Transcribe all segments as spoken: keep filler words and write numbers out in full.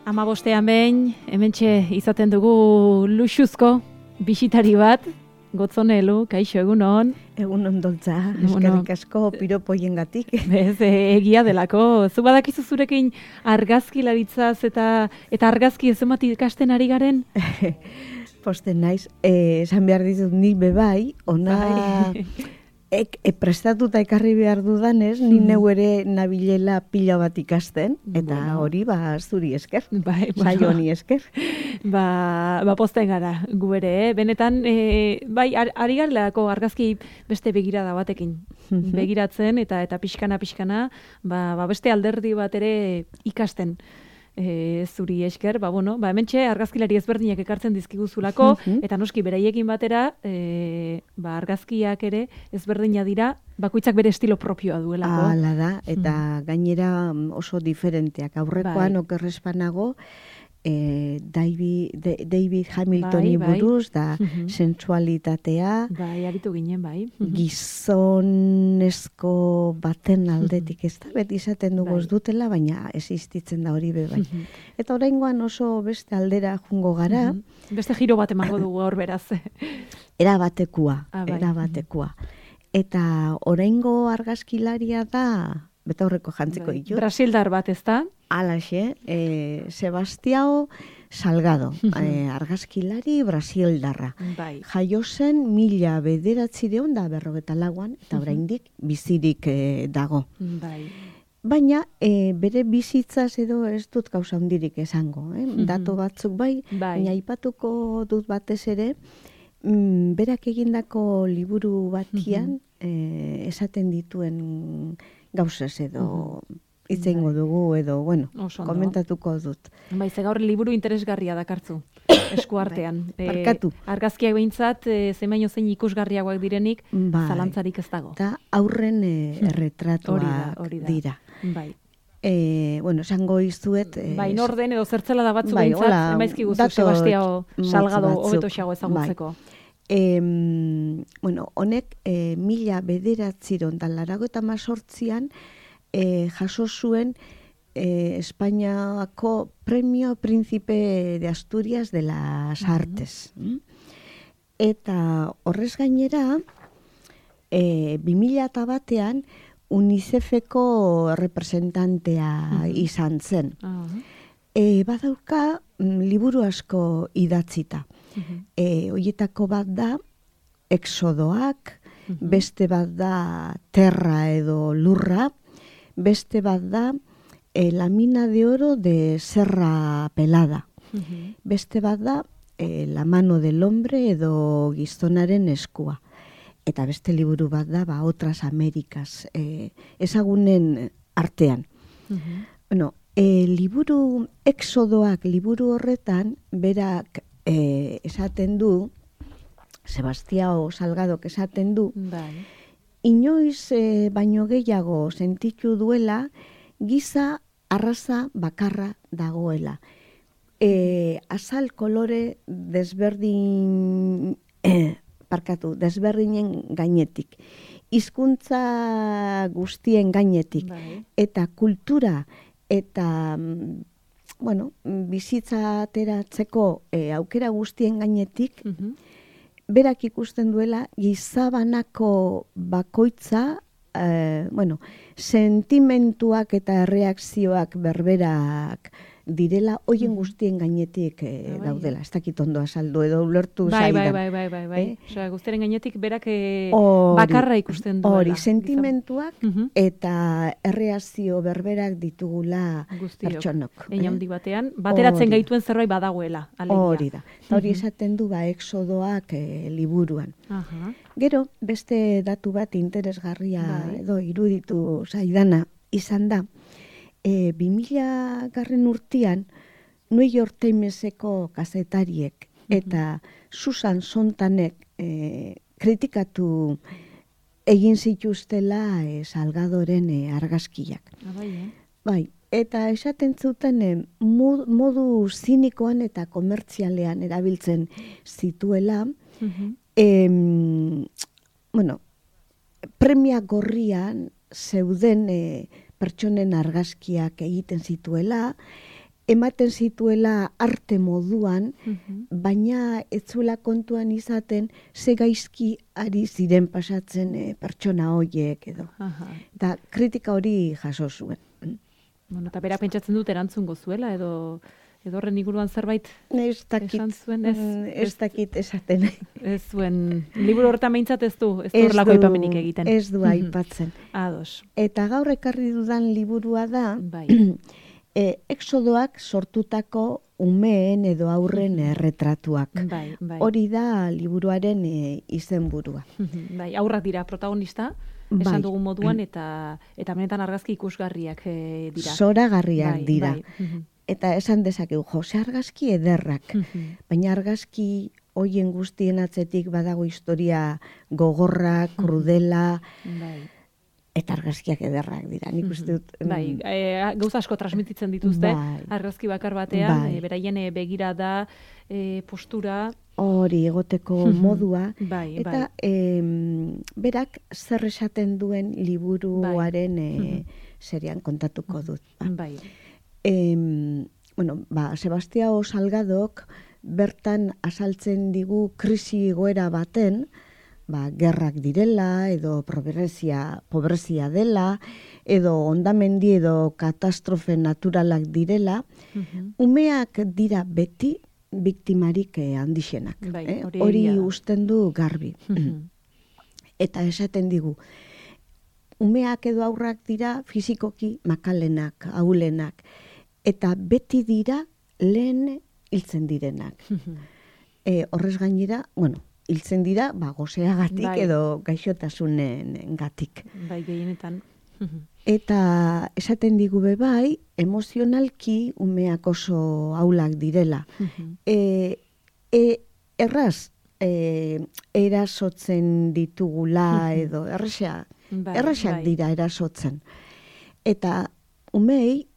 Amabostean behin, hementxe izaten dugu luxuzko bisitari bat, Gotzonelu, kaixo egun hon. Egun ondoltza, eskerrik asko piropoiengatik. Bez, egia delako. Zu badakizu zurekin argazkilaritzaz eta eta argazki ez emati ikasten ari garen? Posten naiz, eh, esan behar dizut ni bebai, ona ek, e, prestatuta ekarri behar dudanez, ni neu ere nabilela pila bat ikasten, eta bueno, hori ba zuri esker, bai, saio honi esker. Ba, ba posten gara, gu ere, eh? Benetan, e, bai, ar, ari garelako argazki beste begirada batekin. Begiratzen eta eta pixkana-pixkana, ba, ba beste alderdi bat ere ikasten. E, zuri esker, ba, bueno, ba, hementxe argazkilari ezberdinak ekartzen dizkiguzulako, eta noski beraiekin batera, e, ba, argazkiak ere ezberdina dira, bakoitzak bere estilo propioa duelako. Hala da, eta gainera oso diferenteak. Aurrekoan bai. Okerrespanago, E, David, de, David Hamiltoni bai, bai. buruz, da uh-huh. sensualitatea, bai, aritu ginen, bai. Uh-huh. Gizonezko baten aldetik, ez da, beti izaten dugu ez bai. dutela, baina existitzen da hori be bai. Uh-huh. Eta oraingoan oso beste aldera jungo gara. Uh-huh. Beste giro bat emango dugu hor beraz. Era batekua, ah, bai. era batekua. Eta oraingo argazkilaria da, betaurreko jantziko bai. ditut. Brasildar bat, ez da? Alaxe, eh, Sebastiao Salgado, eh, argazkilari brasildarra. Bai. Jaio zen mila bederatzireun da berrogeta lauan, eta oraindik bizirik eh, dago. Bai. Baina eh, bere bizitzaz edo ez dut gauza handirik esango. Eh? Dato batzuk bai, bai. baina aipatuko dut batez ere, mm, berak egindako liburu batian eh, esaten dituen gauzaz edo... Itzeingo dugu edo, bueno, komentatuko dut. Bai, ze gaur liburu interesgarria dakartzu, eskuartean. Barkatu. E, argazkiak behintzat, e, zemaino zein ikusgarriagoak direnik, bai. Zalantzarik ez dago. Eta aurren e, erretratuak hori da, dira. Bai. E, bueno, esango izuet... E, bai, norden edo zertzela da batzu bai, behintzat, emaizki guzu, Sebastiao Salgado hobeto xago ezagutzeko. Bai. E, bueno, honek e, mila bederatziron da larago eta mazortzian, E, jaso zuen e, Espainiako Premio Príncipe de Asturias de las Artes. Uh-huh. Eta horrez gainera, e, bi mila batean UNICEFeko representantea uh-huh. izan zen. Uh-huh. E, badauka liburu asko idatzita. Uh-huh. E, Hoietako bat da, Exodoak, uh-huh. beste bat da, Terra edo Lurra, beste bat da, e, La mina de oro de Serra Pelada. Uh-huh. Beste bat da, e, La mano del hombre edo gizonaren eskua. Eta beste liburu bat da, ba, Otras Amerikas, e, ezagunen artean. Uh-huh. Bueno, e, liburu, Exodoak liburu horretan, berak e, esaten du, Sebastiao Salgadok esaten du, bai. Inoiz e, baino gehiago sentitu duela giza arraza bakarra dagoela. E, azal kolore desberdin, eh, parkatu, desberdinen gainetik. Hizkuntza guztien gainetik. Bai. Eta kultura eta bueno, bizitza ateratzeko e, aukera guztien gainetik, uh-huh. berak ikusten duela gizabanako bakoitza, eh, bueno, sentimentuak eta reakzioak berberak direla, hoien guztien gainetik eh, daudela. Ez dakit ondo azaldu edo ulertu bai, zaidan. Bai, bai, bai, bai. Eh? Osea, guztiaren gainetik berak eh, ori, bakarra ikusten duela. Hori, sentimentuak uh-huh. eta erreakzio berberak ditugula guztiok. Pertsonok. Hein handi batean, bateratzen ori. Gaituen zerbait badagoela. Alegia. Hori da. Eta hori esaten du ba, Exodoak eh, liburuan. Uh-huh. Gero, beste datu bat interesgarria bai. Edo iruditu zaidana izan da, E, bi mila garren urtean, New York Timeseko kazetariek eta Susan Sontanek e, kritikatu egin zituztela e, Salgadoren e, argazkiak. Ah, bai, eh? Bai, eta esaten zuten e, mod, modu zinikoan eta komertzialean erabiltzen zituela, uh-huh. e, bueno, premia gorrian zeuden e, pertsonen argazkiak egiten zituela, ematen zituela arte moduan, baina ez zuela kontuan izaten ze gaizki ari ziren pasatzen e, pertsona horiek edo. Eta kritika hori jaso zuen. Bueno, eta bera pentsatzen dut erantzungo zuela edo edo horren inguruan zerbait esan zuen, ez, ez dakit esaten. Ez zuen, liburu horretan behintzat ez du, ez du horrelako aipamenik egiten. Ez du aipatzen. Ados. Eta gaur ekarri dudan liburua da, bai. e, exodoak sortutako umeen edo aurren erretratuak. Bai, bai. Hori da liburuaren e, izenburua. Bai, aurrak dira protagonista, esan dugun moduan, eta eta benetan argazki ikusgarriak e, dira. Zoragarriak bai, dira. Bai. Eta esan dezakegu, Jose argazki ederrak, baina argazki hoien guztien atzetik badago historia gogorra, krudela, bai. Eta argazkiak ederrak dira. Nik uste dut... Bai, e, gauza asko transmititzen dituzte, bai. argazki bakar batean, bai. e, beraien e, begirada, e, postura... Hori egoteko modua. Bai, eta bai. E, berak zer esaten duen liburuaren bai. e, serian kontatuko dut. Ba. Bai. E, bueno, ba, Sebastiao Salgadok bertan asaltzen digu krisi goera baten, ba, gerrak direla, edo pobrezia, pobrezia dela, edo ondamendi edo katastrofe naturalak direla, umeak dira beti biktimarik eh, handixenak. Bai, eh? hori Hori egia da. usten du garbi. Eta esaten digu, umeak edo aurrak dira fizikoki makalenak, ahulenak, eta beti dira lehen hiltzen direnak. e, horrez gainera, bueno, hiltzen dira, ba, gozeagatik bai. edo gaixotasunen gatik. Bai, gehienetan. Eta esaten digu be bai, emozionalki umeak oso aulak direla. e, e, erraz, e, erasotzen ditugula edo, erraxa, bai, erraxak bai. dira erasotzen. Eta umei,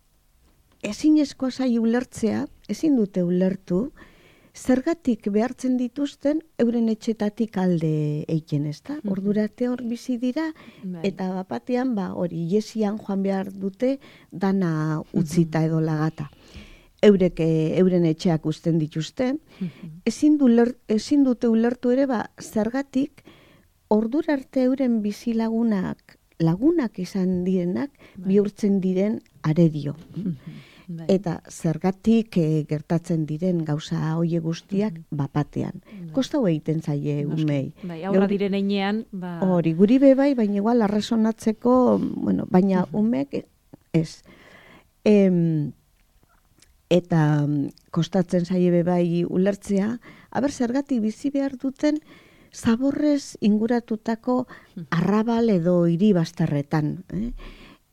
ezinezkoa zai ulertzea, ezin dute ulertu, zergatik behartzen dituzten euren etxetatik alde eiken, ezta? Ordurarte hor bizi dira, Bai. eta bapatean, ba, hori, iesian joan behar dute dana utzita edo lagata. Eurek, e, euren etxeak uzten dituzte, ezin, du ler, ezin dute ulertu ere, ba, zergatik ordurarte euren bizilagunak, lagunak izan direnak, bihurtzen diren aredio. Bai. Eta zergatik e, gertatzen diren gauza hoie guztiak bapatean. Kostau egiten zaie umei. Bai, aurra diren einean, ba... Hori, guri be bai, baina igual arrazonatzeko, bueno, baina umek ez. Em, eta kostatzen zaie be bai ulertzea, aber zergatik bizi behar duten zaborrez inguratutako arrabal edo hiri bastarretan, eh?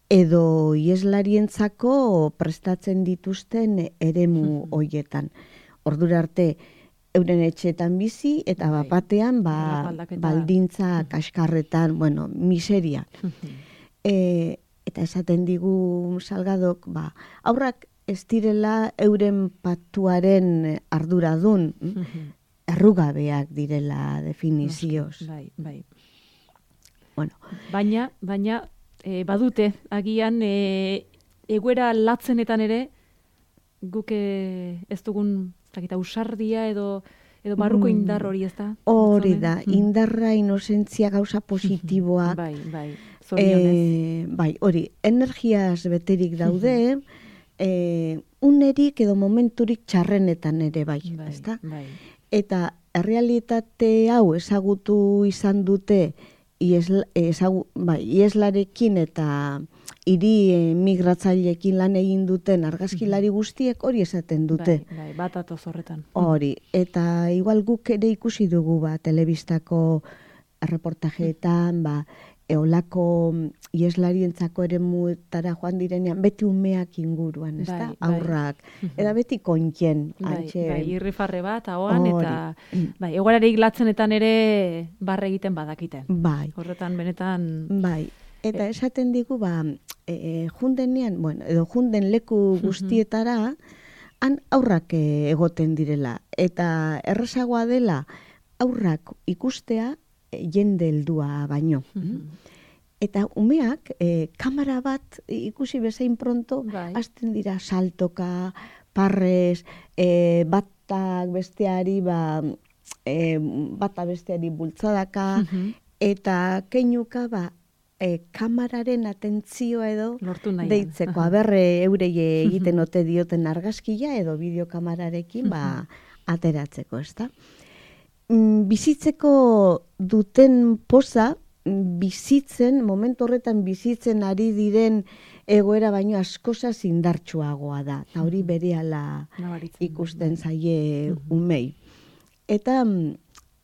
edo ieslarientzako prestatzen dituzten eremu hoietan. Ordura arte euren etxeetan bizi eta Bai. bapatean ba, Aldaketa. baldintza kaskarretan, bueno, miseria. e, eta esaten digu Salgadok, ba, aurrak ez direla euren patuaren arduradun, errugabeak direla definizioz. Bai, bai. Bueno, Baina, baina, e, badute, agian, e, egoera latzenetan ere, guk e, ez dugun, zakita, usardia edo, edo barruko indar hori, ez da? hori Batzone? da, indarra, inozentzia, gauza positiboak, Bai, bai, zorionez. Eh, bai, hori, energiaz beterik daude, eh, unerik edo momenturik txarrenetan ere bai, Bai, ezta? bai. Eta errealitate hau ezagutu izan dute iesla, ezagu, bai, ieslarekin eta hiri eh, migratzaileekin lan egin duten argazkilari guztiek hori esaten dute. Bai, bai, bat atoz horretan. Hori, eta igual guk ere ikusi dugu ba, telebistako reportajeetan, ba, eolako ieslarientzako ere muetara joan direnean, beti umeak inguruan, ez da? Bai, bai. Aurrak, eta beti kontien. Bai, antxe, bai, irrifarre bat, ahoan, Hori. eta bai, egoerarik latzenetan ere barre egiten badakite. bai, Horretan, benetan, bai. Eta esaten digu, ba, e, jundenean, bueno, edo junden leku guztietara, han aurrak e, egoten direla. Eta errazagoa dela, aurrak ikustea e, jende heldua baino. Eta umeak, e, kamera bat ikusi bezain pronto, Bai. hasten dira saltoka, parrez, e, batak besteari, ba, e, bata besteari bultzadaka, Mhm. eta keinuka, ba, e, kamararen atentzioa edo Lortu nahian. deitzeko, aberre eurei egiten ote dioten argazkia edo bideokamararekin, ba, ateratzeko, ezta? Mm, Bizitzeko duten poza, bizitzen, momentu horretan bizitzen ari diren egoera baino askoz indartsuagoa da. Eta hori berehala Nabaritzen. ikusten zaie umei. Eta mm,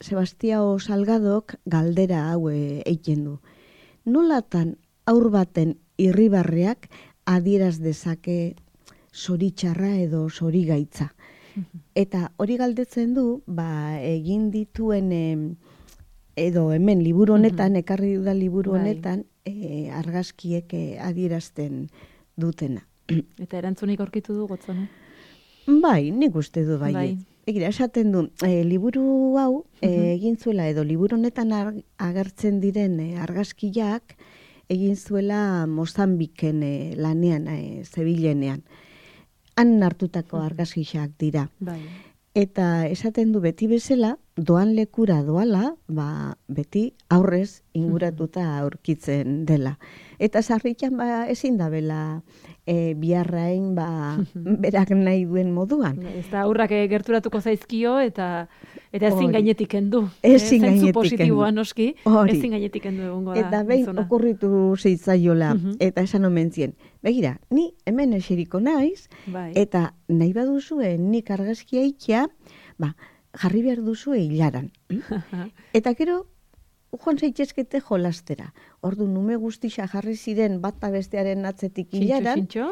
Sebastiao Salgadok galdera hau eh, egiten du. Nolatan aur baten irribarreak adieraz dezake zoritxarra edo zorigaitza. Eta hori galdetzen du, ba, egin dituen em, edo hemen liburu honetan, ekarri dudan liburu Bai. honetan, e, argazkiek eh, adierazten dutena. Eta erantzunik aurkitu du gotzone? Bai, nik uste du bai. Bai. Egira, esaten du, e, liburu hau e, egin zuela, edo liburu honetan ar- agertzen diren e, argazkiak egin zuela Mozambiken e, lanean, e, Zebilenean. Han hartutako argazkiak dira. Bai. Eta esaten du beti bezala, doan lekura doala, ba, beti aurrez inguratuta aurkitzen dela. Eta sarritan ba, ezin da bela e, biharrain ba, berak nahi duen moduan. Ez da aurrak eh, gerturatuko zaizkio eta eta ezin Hori. gainetik kendu. Ezin Eh, zentzu gainetik positiboa kendu. noski, Hori. ezin gainetik kendu egongo da. Eta behin gizona. okurritu zeitzaiola, Mhm. eta esan omen zien, begira, ni hemen eseriko naiz, Bai. eta nahi baduzue nik argazkia ikia, ba, jarri behar duzue hilaran. Eta gero, joan zaitezkete jolastera. Ordu nume guztixa jarri ziren bata bestearen atzetik Txintxo, hilaran, txintxo.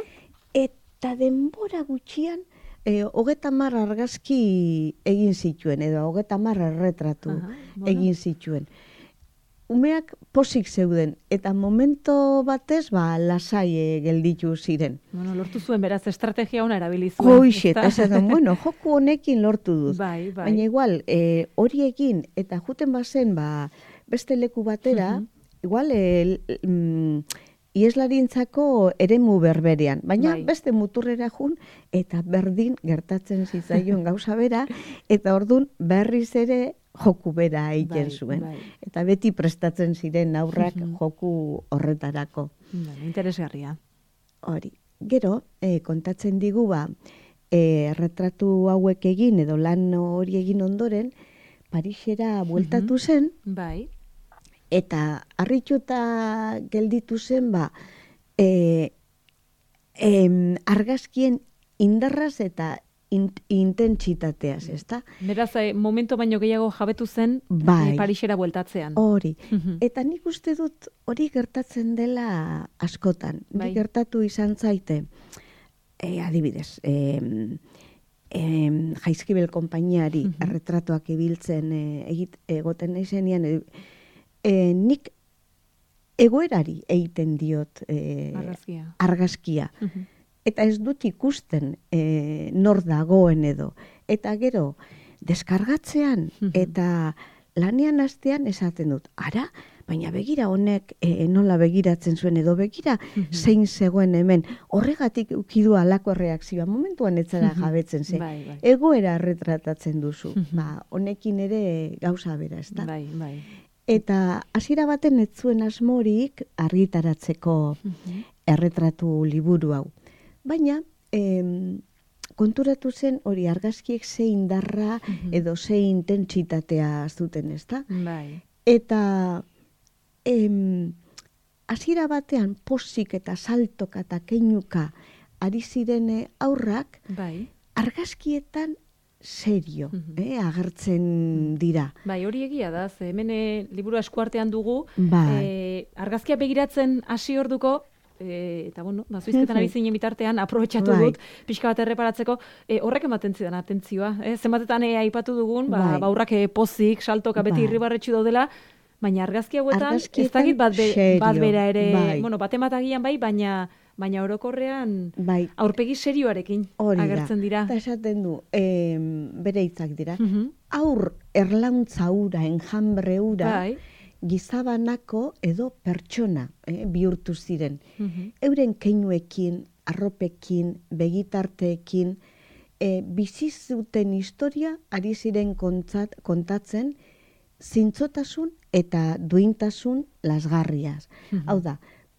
eta denbora gutxian, e, hogeta mar argazki egin zituen, edo hogeta mar erretratu Aha, bueno. egin zituen. Umeak posik zeuden, eta momento batez, ba, lasai eh, gelditu ziren. Bueno, lortu zuen beraz estrategia ona erabili zuen. Hoixe, ezta? eta esaten, bueno, joku honekin lortu dut. Bai, bai. Baina igual, e, hori egin, eta juten bazen, ba, beste leku batera, Mhm. igual, e, mm, ieslarintzako eremu berberean. Baina Bai. beste muturrera jun, eta berdin gertatzen zitzaion gauza bera, eta ordun berriz ere joku bera egiten Bai, zuen. bai. Eta beti prestatzen ziren aurrak Mhm. joku horretarako. Bueno, interesgarria. Hori. Gero, eh, kontatzen digu ba, eh, retratu hauek egin edo lan hori egin ondoren, Parisera bueltatu zen, Bai. eta harrituta gelditu zen, ba, e, em, argazkien indarraz eta in, intentsitateaz, ezta? Beraz, eh, momento baino gehiago jabetu zen Bai. eh, Parisera bueltatzean. Hori. Mhm. Eta nik uste dut hori gertatzen dela askotan. Bai. Nik gertatu izan zaite, e, adibidez, e, e, Jaizkibel konpainiari Mhm. erretratuak ibiltzen e, egit, egoten naizenean, e, e, nik egoerari egiten diot e, Argazkia. argazkia. Mhm. Eta ez dut ikusten e, nor dagoen edo. Eta gero, deskargatzean Mhm. eta lanean hastean esaten dut, ara, baina begira honek e, nola begiratzen zuen edo begira zein zegoen hemen. Horregatik ukidu alako reakzioa. Momentuan ez zara Mhm. jabetzen ze. Bai, bai. Egoera retratatzen duzu. Mhm. Ba, honekin ere gauza bera, ez da? Bai, bai. Eta hasiera baten ez zuen asmorik argitaratzeko Mhm. erretratu liburu hau. Baina, em, konturatu zen hori argazkiek ze indarra Mhm. edo ze intentsitatea zuten, ezta? Bai. Eta em, hasiera batean posik eta saltoka eta keinuka ari zirene aurrak Bai. argazkietan serio, Mhm. eh, agertzen dira. Bai, hori egia da, ze hemen eh, liburu eskuartean dugu, Bai. eh, argazkia begiratzen hasi orduko, e, eta bueno, bazuizketan ari zinen bitartean, aprobetxatu Bai. dut, pixka bat erreparatzeko, e, horrek ematen zidan atentzioa. Eh? Zenbatetan e, aipatu dugun, ba, Bai. ba horrak e, pozik, saltoka, beti Bai. irribarretxu daudela, baina argazki hauetan, ez Argazkietan dakit bat, be, serio, bat bera ere, bai. bueno, bat ematagian bai, baina baina orokorrean Bai, aurpegi serioarekin hori da. agertzen dira. Eta esaten du, em, bere hitzak dira, Mhm. aur erlauntza ura, enjambre ura, Bai. gizabanako edo pertsona eh, bihurtu ziren. Mhm. Euren keinuekin, arropekin, begitarteekin, e, bizi zuten historia ari ziren kontzat, kontatzen zintzotasun eta duintasun lasgarriaz. Mm-hmm. Hau da,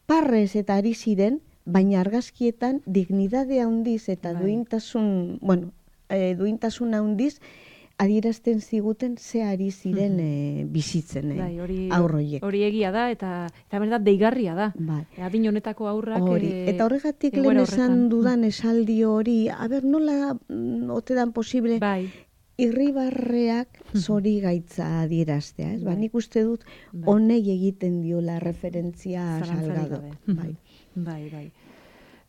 parrez eta ari ziren, baina argazkietan dignidadea handiz eta bai. duintasun, bueno, e, duintasun handiz adierazten ziguten ze ari ziren e, bizitzen e, bai, hori, aurroiek. Hori egia da eta eta benetan deigarria da. Bai. Adin honetako aurrak hori. E, eta horregatik lehen esan dudan esaldi hori, a ber, nola mm, ote dan posible bai. Irribarreak zori gaitza adieraztea, ez? Bai. Ba, nik uste dut honei egiten diola referentzia Salgado. Bai. Bai, bai.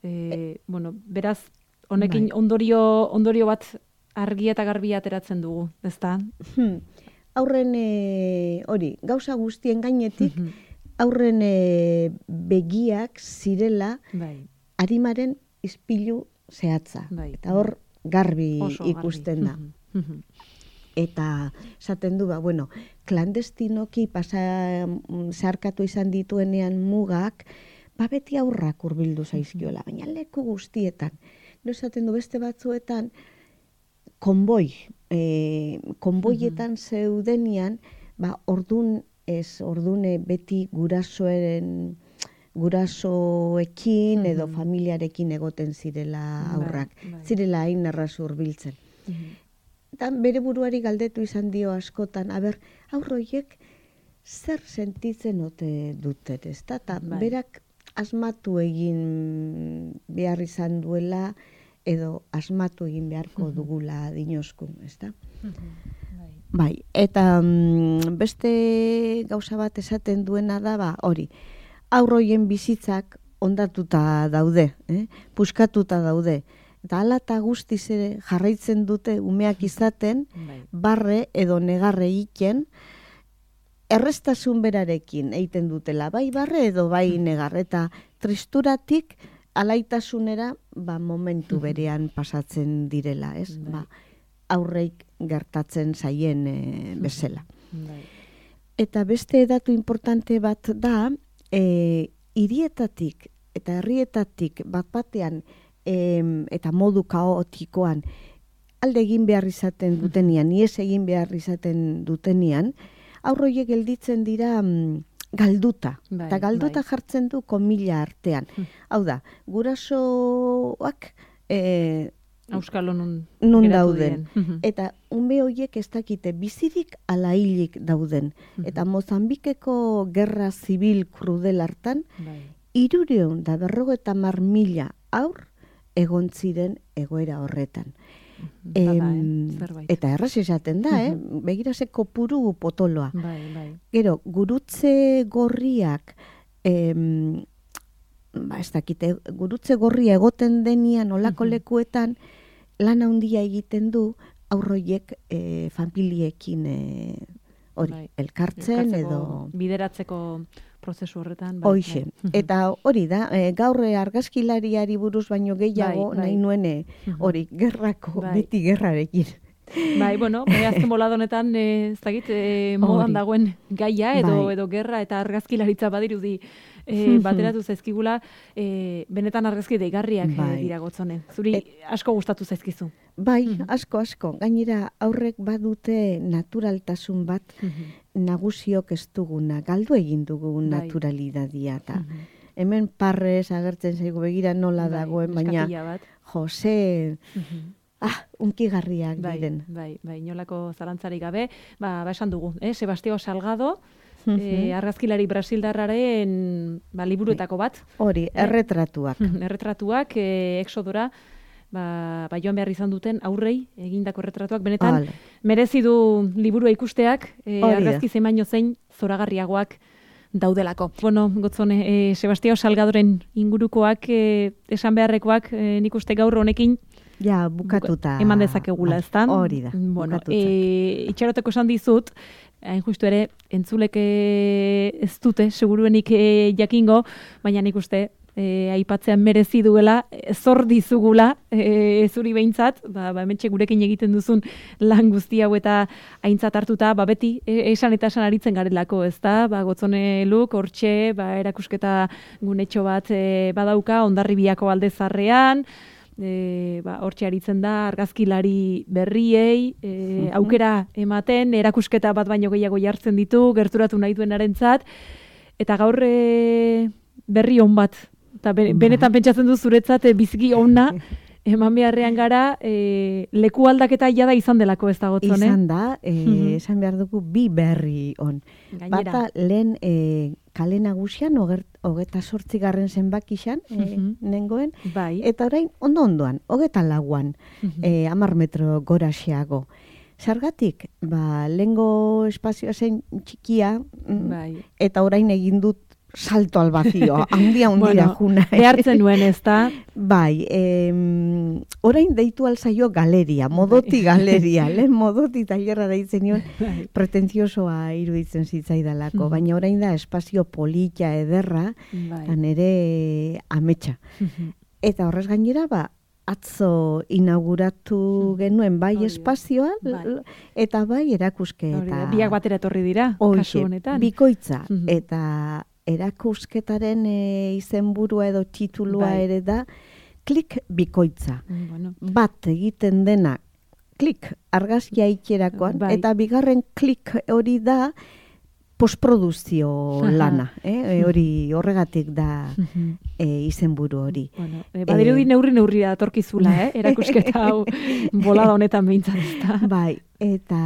E, e, bueno, beraz, honekin bai. ondorio, ondorio bat argia eta garbia ateratzen dugu, ezta? Hmm. Aurren e, hori, gauza guztien gainetik, aurren e, begiak zirela bai. Arimaren ispilu zehatza. Bai. Eta hor garbi oso ikusten garbi. Da. Eta esaten du, ba, bueno, klandestinoki pasa zarkatu izan dituenean mugak, ba beti aurrak hurbildu zaizkiola, baina leku guztietan. No esaten du beste batzuetan, konboi, e, konboietan zeudenian, ba ordun ez, ordune beti gurasoen, gurasoekin edo familiarekin egoten zirela aurrak. Bai, bai. Zirela hain erraz hurbiltzen. Eta bere buruari galdetu izan dio askotan, aber, aurroiek zer sentitzen ote duten, ez da? Ta bai. Berak asmatu egin behar izan duela, edo asmatu egin beharko dugula dinoskun, ez da? Bai. Bai, eta mm, beste gauza bat esaten duena da, ba, hori, aurroien bizitzak ondatuta daude, eh? Puskatuta daude. Eta ala eta guztiz ere jarraitzen dute umeak izaten, bai. Barre edo negarre egiten, errestasun berarekin egiten dutela, bai barre edo bai negar, eta tristuratik alaitasunera ba, momentu berean pasatzen direla, ez? Bai. Ba, aurreik gertatzen zaien e, bezala. Bai. Eta beste datu importante bat da, e, hirietatik eta herrietatik bat batean e, eta modu kaotikoan alde egin behar izaten dutenian, ies egin behar izaten dutenian, aurroiek gelditzen dira mm, galduta. Bai, eta galduta bai. Jartzen du komila artean. Hmm. Hau da, gurasoak e, Auskalo nun, nun dauden. Eta ume horiek ez dakite bizirik ala hilik dauden. Eta Mozambikeko gerra zibil krudel hartan, bai. Irureun da berrogeta mar mila aur egon ziren egoera horretan. Em, Bada, eh? Eta erraz esaten da, eh? Begirase kopuru potoloa. Bai, bai. Gero, gurutze gorriak, em, ba, ez dakite, gurutze gorria egoten denian olako lekuetan, lan handia egiten du aurroiek e, familiekin e, hori, bai. elkartzen edo bideratzeko prozesu horretan. Bai, hoxe. Bai. Eta hori da, e, gaur argazkilariari buruz baino gehiago bai, bai. nahi nuene hori, gerrako, bai. Beti gerrarekin. Bai, bueno, bai, azken bolada honetan, ez dakit, e, modan dagoen gaia edo bai. edo gerra eta argazkilaritza badirudi e, bateratu zaizkigula, e, benetan argazki deigarriak bai. dira Gotzone. Zuri Et, asko gustatu zaizkizu. Bai, asko, asko. Gainera, aurrek badute naturaltasun bat nagusiok ez duguna, galdu egin dugu bai. naturalidadia. Ta. Hemen parrez agertzen zaigu begira nola bai, dagoen, baina Jose... Ah, unkigarriak bai, diren. Bai, bai, inolako zalantzarik gabe, ba, ba esan dugu, eh? Sebastião Salgado, uh-huh. eh, argazkilari brasildarraren ba, liburuetako bat. Hori, erretratuak. Eh? Erretratuak, eh, exodora, ba, ba joan behar izan duten aurrei egindako erretratuak. Benetan, Al. merezi du liburua ikusteak, eh, argazki zemaino zein zoragarriagoak daudelako. Bueno, Gotzone, eh, Sebastião Salgadoren ingurukoak, eh, esan beharrekoak, eh, nik uste gaur honekin, ja, bukatuta. Eman dezakegula, ez da? Hori da, bueno, e, itxaroteko esan dizut, hain justu ere, entzuleke ez dute, seguruenik e, jakingo, baina nik uste, e, aipatzean merezi duela, zor dizugula, e, zuri behintzat, ba, ba, hementxe gurekin egiten duzun lan guzti hau eta aintzat hartuta, ba, beti e, esan eta esan aritzen garelako, ez da? Ba, Gotzone Luk, hortxe, ba, erakusketa gunetxo bat e, badauka, Hondarribiako Alde Zarrean, e, ba, hortxe aritzen da, argazkilari berriei, e, aukera ematen, erakusketa bat baino gehiago jartzen ditu, gerturatu nahi duenarentzat, eta gaur e, berri on bat, eta benetan pentsatzen du zuretzat e, biziki onna, eman beharrean gara, e, leku aldaketa jada izan delako ez da Gotzon, eh? Izan da, e, mm-hmm. esan behar dugu bi berri on. Gainera. Bata lehen e, kale nagusian, hogeta sortzi garren zenbakixan, mm-hmm. e, nengoen, bai. Eta orain ondo-ondoan, hogeta lauan, mm-hmm. e, amar metro goraxeago. Zergatik, ba, lehengo espazioa zen txikia, bai. Eta orain egin dut salto al vacío, handia hundira bueno, juna. Behartzen nuen ez da? Bai, em, orain deitu alzaio galeria, modoti galeria, lehen modoti tailerra deitzen nion, pretenziosoa iruditzen zitzaidalako, baina orain da espazio polita ederra, eta nere ametsa. Eta horrez gainera, ba, atzo inauguratu genuen bai espazioa, bai. Eta bai erakuske. Eta biak batera etorri dira, kasu honetan. Bikoitza, eta erakusketaren e, izenburua edo titulua bai. Ere da, klik bikoitza. Bueno. Bat egiten dena, klik argazkia ikerakoan, bai. Eta bigarren klik hori da, postproduzio lana, eh? Hori horregatik da e, izenburu hori. Bueno, e, badirudi e, neurri neurri da torkizula, eh? Erakusketa hau bolada honetan behintzat ez da. Bai, eta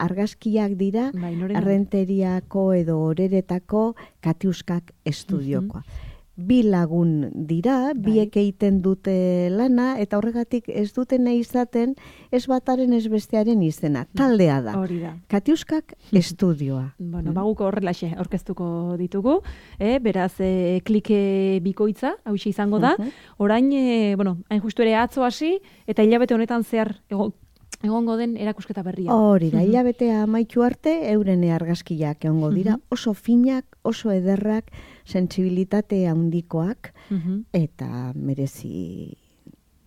argazkiak dira, bai, Errenteriako edo Oreretako Katiuskak estudiokoa. Uh-huh. Bi lagun dira, bai. Biek egiten dute lana, eta horregatik ez duten izaten ez bataren ez bestearen izena. Taldea da. Hori da. Katiuskak estudioa. Bueno, mm. baguko horrelaxe aurkeztuko ditugu, eh? Beraz, eh, klike bikoitza, hau izango da. Uh-huh. Orain, eh, bueno, hain justu ere atzo hasi, eta hilabete honetan zehar ego, egongo den erakusketa berria. Hori da, hilabetea amaitu arte, euren argazkiak egongo dira, uh-huh. oso finak, oso ederrak, sentsibilitate handikoak, uh-huh. eta merezi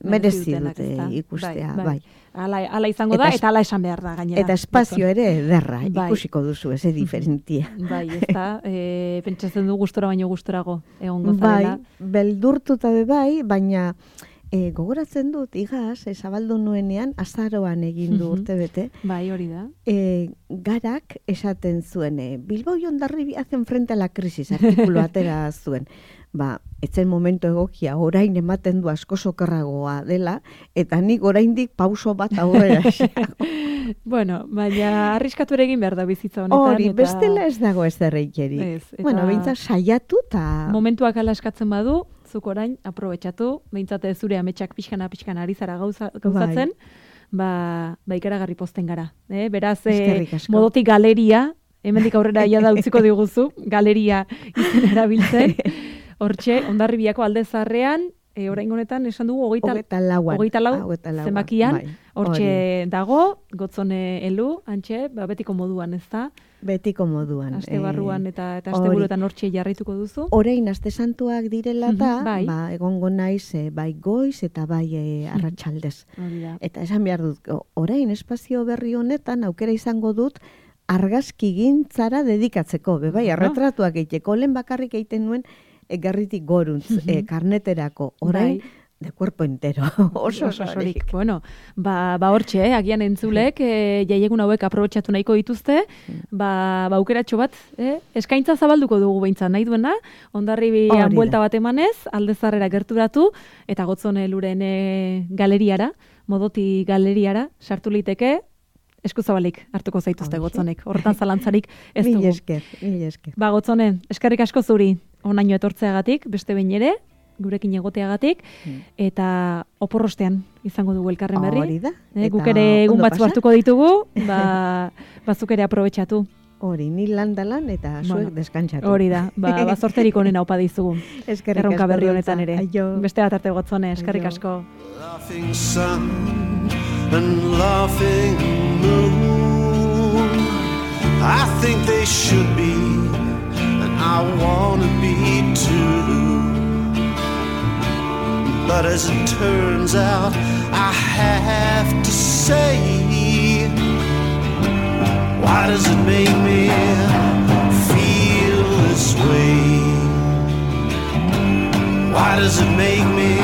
merezi dute ikustea, bai. bai. Ala, ala izango da, eta, eta ala esan behar da, gainera. Eta espazio ere ederra, bai. Ikusiko duzu, ez diferentia. Bai, ez da, e, pentsatzen du gustora baino gustorago egongo zarela. Bai, beldurtuta be bai, baina e, gogoratzen dut, igaz, e, zabaldu nuenean, azaroan egin du urte bete. Bai, hori da. E, garak esaten zuen, e, Bilbao y Hondarribia hacen frente a la crisis, artikulu atera zuen. Ba, etzen momentu egokia, orain ematen du asko sokerragoa dela, eta nik oraindik pauso bat aurrera xeago. Bueno, baina arriskatu ere egin behar da bizitza honetan. Hori, eta... bestela ez dago ez derreikeri. Eta... Bueno, behintzat saiatu eta... Momentuak ala eskatzen badu, zuk orain, aprobetxatu, behintzat zure ametsak pixkana pixkana ari zara gauza, gauzatzen, bai. ba, ba ikaragarri posten gara. Eh? Beraz, eh, modotik galeria, hemendik aurrera ia da utziko diguzu, galeria izen erabiltzen, hortxe, Hondarribiako alde zaharrean, e, orain honetan esan dugu hogeita lau zenbakian, bai. Hortxe dago, Gotzone elu, antxe, ba, betiko moduan, ez da? Betiko moduan. Aste barruan eta, eta aste buruetan hortxe jarraituko duzu. Orain aste santuak direla da, bai. Ba, egongo naiz e, bai goiz eta bai e, arratsaldez. Eta esan behar dut, orain espazio berri honetan aukera izango dut, argazki gintzara dedikatzeko, bebai, arretratuak egiteko, lehen bakarrik egiten nuen, egarritik goruntz, uh-huh. e, karneterako, orain, bai. De cuerpo entero, oso osorik. Bueno, ba, ba hortxe, eh? Agian entzulek, e, jaiegun hauek aprobetxatu nahiko dituzte, ba, ba aukeratxo bat, eh? Eskaintza zabalduko dugu behintzat nahi duena, Hondarribian buelta bat emanez, aldezarrera gerturatu, eta Gotzone eluren e, galeriara, modoti galeriara, sartu liteke, eskuzabalik hartuko zaituzte Gotzonek, horretan zalantzarik ez dugu. Mil esker, mil esker. Ba, Gotzone, eskerrik asko zuri, onaino etortzeagatik, beste behin ere, gurekin egoteagatik, hmm. eta oporrostean izango dugu elkarren berri. Hori da. Eh, guk ere egun batzu hartuko ditugu, ba, bazuk ere aprobetxatu. Hori, ni landalan eta zuek bueno, deskantzatu. Hori da, ba, bazorterik onena opa dizugu. Eskerrik erronka berri honetan ere. Aio. Beste bat arte Gotzone, eskerrik asko. Laughing sun and laughing moon, I think they should be, and I want to be too. But as it turns out, I have to say, why does it make me feel this way? Why does it make me